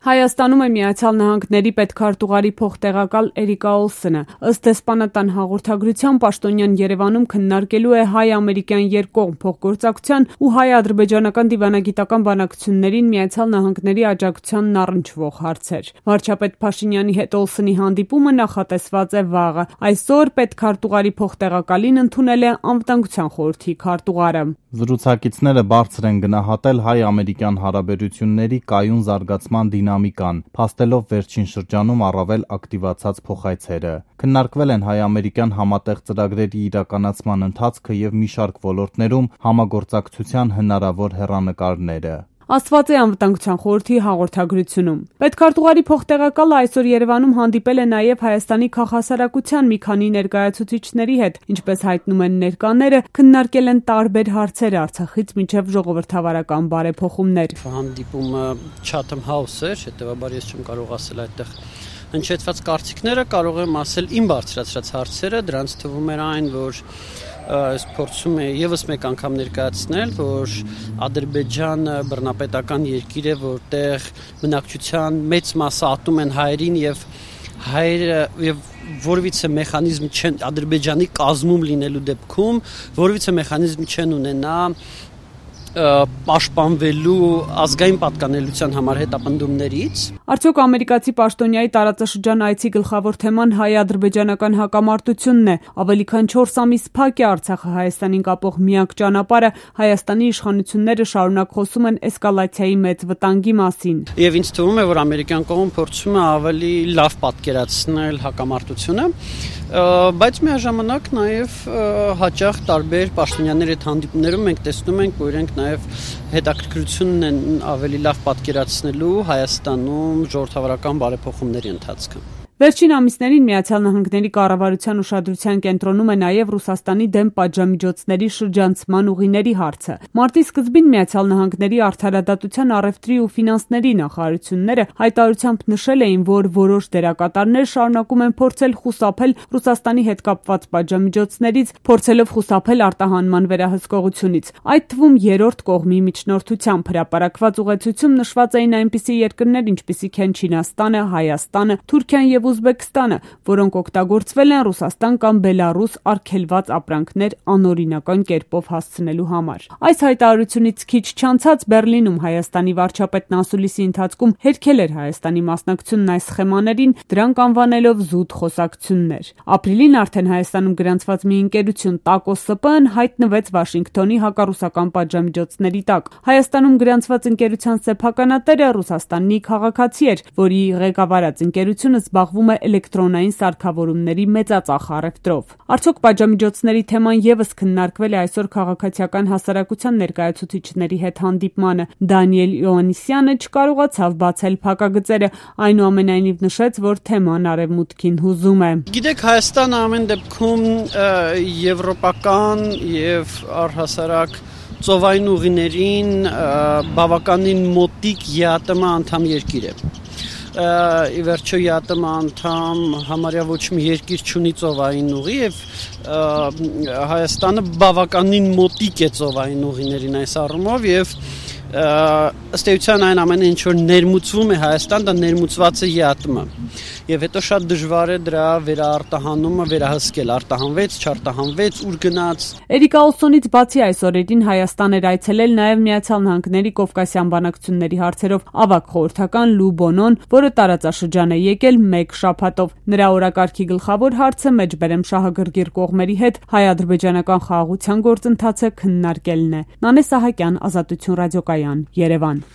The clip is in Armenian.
Հայաստանում է Միացյալ Նահանգների պետքարտուղարի փոխտեղակալ Էրիկա Օլսենը։ Ըստ դեսպանատան հաղորդագրության, պաշտոնյան Երևանում քննարկելու է հայ-ամերիկյան երկկողմ փոխգործակցության ու հայ-ադրբեջանական դիվանագիտական բանակցություններին Միացյալ Նահանգների աջակցությանն առնչվող հարցեր։ Վարչապետ Փաշինյանի հետ Օլսենի հանդիպումը նախատեսված է վաղը։ Այսօր պետքարտուղարի փոխտեղակալին ընդունել է Անվտանգության խորհրդի քարտուղարը։ Զրուցակիցները բարձր են գնահատել հայ-ամերիկյան հարաբերությունների կայուն զարգացման դինամիկան, փաստելով վերջին շրջանում առավել ակտիվացած փոխայցերը։ Քննարկվել են հայ-ամերիկյան համատեղ ծրագրերի իրականացման ընթացքը և մի շարք ոլորտներում համագործակցության հնարավոր հեռանկարները։ Ասված է Անվտանգության խորհրդի հաղորդագրությունում։ Պետքարտուղարի փոխտեղակալը այսօր Երևանում հանդիպել է նաև Հայաստանի քաղաքասարակության մի քանի ներկայացուցիչների հետ, ինչպես հայտնում են ներկաները, քննարկել են տարբեր հարցեր Արցախից մինչև ժողովրդավարական բարեփոխումներ։ Հանդիպումը Chatham House էր, հետևաբար ես չեմ կարող ասել այդտեղ հնչեցված կարծիքները, կարող եմ ասել իմ բարձրացրած հարցերը, դրանց թվում էր այն, որ ես փորձում եմ եւս մեկ անգամ ներկայացնել, որ Ադրբեջանը բռնապետական երկիր է, որտեղ բնակչության մեծ մասը ատում են հայերին եւ որևիցե մեխանիզմ չեն Ադրբեջանի կազմում լինելու դեպքում, որևիցե մեխանիզմ չեն ունենա պաշտպանվելու ազգային պատկանելիության համար հետապնդումներից։ Արդյոք ամերիկացի պաշտոնյայի տարածաշրջան այցի գլխավոր թեման հայ-ադրբեջանական հակամարտությունն է։ Ավելի քան 4 ամիս փակ է Արցախը Հայաստանին կապող միակ ճանապարհը, Հայաստանի իշխանությունները շարունակ խոսում են էսկալացիայի մեծ վտանգի մասին։ Եվ ինձ թվում է, որ ամերիկյան կողմը փորձում է ավելի լավ պատկերացնել հակամարտությունը, բայց միաժամանակ նաև հաճախ տարբեր պաշտոնյաների հետ հանդիպումներում մենք տեսնում ենք, որ իրենք նաև հետաքրքրությունն են ավելի լավ պատկերացնելու Հայաստանում ժողովրդավարական բարեփոխումների ընթացքը։ Վերջին ամիսներին Միացյալ Նահանգների կառավարության ուշադրության կենտրոնում է նաև Ռուսաստանի դեմ պատժամիջոցների շրջանցման ուղիների հարցը։ Մարտի սկզբին Միացյալ Նահանգների արդարադատության, առևտրի ու ֆինանսների նախարարությունները հայտարարությամբ նշել էին, որ որոշ դերակատարներ շարունակում են փորձել խուսափել Ռուսաստանի հետ կապված պատժամիջոցներից, փորձելով խուսափել արտահանման վերահսկողությունից։ Այդ թվում երրորդ կողմի միջնորդությամբ հրապարակված ուղեցույցում նշված էին այնպիսի երկրներ, ինչպիսիք են Չինաստանը, Հայաստանը, Թուրքիան և Ուզբեկստանը, որոնք օգտագործվել են Ռուսաստան կամ Բելարուս արգելված ապրանքներ անօրինական կերպով հասցնելու համար։ Այս հայտարարությունից քիչ չանցած Բեռլինում Հայաստանի վարչապետն ասուլիսի ընթացքում հերքել էր Հայաստանի մասնակցությունն այս սխեմաներին, դրանք անվանելով զուտ խոսակցություններ։ Ապրիլին արդեն Հայաստանում գրանցված մի ընկերություն Տակո ՍՊ-ն հայտնվեց Վաշինգտոնի հակառուսական պատժամիջոցների տակ։ Հայաստանում գրանցված ընկերության սեփականատերը Ռուսաստանի քաղաքացի էր, որի ղեկավարած ընկերությունը զբաղվում է էլեկտրոնային սարքավորումների մեծածախ առևտրով։ Արդյոք պատժամիջոցների թեման եւս քննարկվել է այսօր քաղաքացիական հասարակության ներկայացուցիչների հետ հանդիպմանը։ Դանիել Իոաննիսյանը չկարողացավ բացել փակագծերը, այնուամենայնիվ նշեց, որ թեման արևմուտքին հուզում է։ Գիտեք, Հայաստանը ամեն դեպքում եվրոպական եւ առհասարակ ծովային ուղիներին բավականին մոտիկ ԵԱՏՄ անդամ երկիր է։ Ի վերջո ԵԱՏՄ անդամ համարյա ոչ մի երկիր չունի ծովային ուղի եւ Հայաստանը բավականին մոտիկ է ծովային ուղիներին այս առումով եւ ըստ էության այն ամենը ինչ որ ներմուծվում է Հայաստան, դա ներմուծված է ԵԱՏՄ եւ հետո շատ դժվար է դրա վերարտահանումը վերահսկել, արտահանվեց, չարտահանվեց, ուր գնաց։ Էրիկա Օլսոնից բացի այս օրերին Հայաստան էր այցելել նաև Միացյալ Նահանգների Կովկասյան բանակցությունների հարցերով ավագ խորհրդական Լու Բոնոն, որը տարածաշրջան է եկել 1 շաբաթով։ Նրա օրակարգի գլխավոր հարցը մեջբերեմ շահագրգիռ կողմերի հետ հայ-ադրբեջանական խաղաղության գործընթացը քննարկելն է։ Նանե Սահակյան, Ազատություն ռադիոկայան, Երևան։